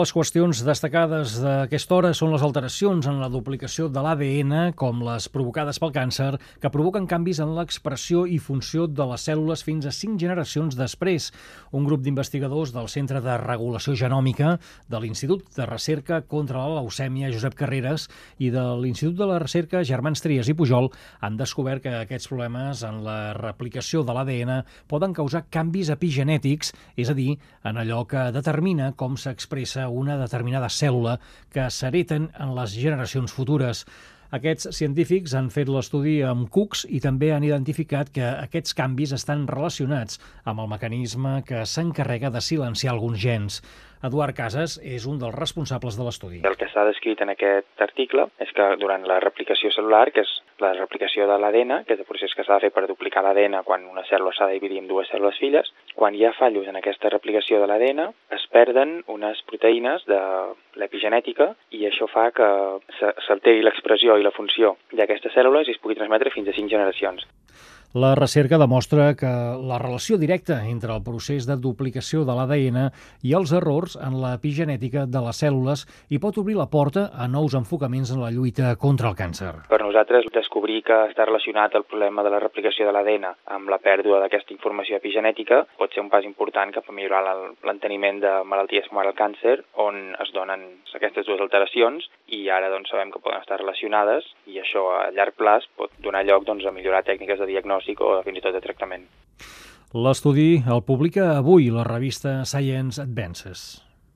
Les qüestions destacades d'aquesta hora són les alteracions en la duplicació de l'ADN, com les provocades pel càncer, que provoquen canvis en l'expressió i funció de les cèl·lules fins a 5 generacions després. Un grup d'investigadors del Centre de Regulació Genòmica, de l'Institut de Recerca contra la Leucèmia Josep Carreras i de l'Institut de la Recerca Germans Trias i Pujol han descobert que aquests problemes en la replicació de l'ADN poden causar canvis epigenètics, és a dir, en allò que determina com s'expressa una determinada cèl·lula que s'hereten en les generacions futures. Aquests científics han fet l'estudi amb cucs i també han identificat que aquests canvis estan relacionats amb el mecanisme que s'encarrega de silenciar alguns gens. Eduard Casas és un dels responsables de l'estudi. El que s'ha descrit en aquest article és que durant la replicació cel·lular, que és la replicació de l'ADN, que és el procés que s'ha de fer per duplicar l'ADN quan una cèl·lula s'ha de dividir en dues cèl·lules filles, quan hi ha fallos en aquesta replicació de l'ADN, es perden unes proteïnes de l'epigenètica i això fa que s'alteri l'expressió i la funció d'aquestes cèl·lules i es pugui transmetre fins a 5 generacions. La recerca demostra que la relació directa entre el procés de duplicació de l'ADN i els errors en l'epigenètica de les cèl·lules hi pot obrir la porta a nous enfocaments en la lluita contra el càncer. Per nosaltres, descobrir que està relacionat el problema de la replicació de l'ADN amb la pèrdua d'aquesta informació epigenètica pot ser un pas important cap a millorar l'enteniment de malalties com ara el càncer, on es donen aquestes dues alteracions i ara sabem que poden estar relacionades i això a llarg plaç pot donar lloc a millorar tècniques de diagnòstic o fins i tot de tractament. L'estudi el publica avui la revista Science Advances.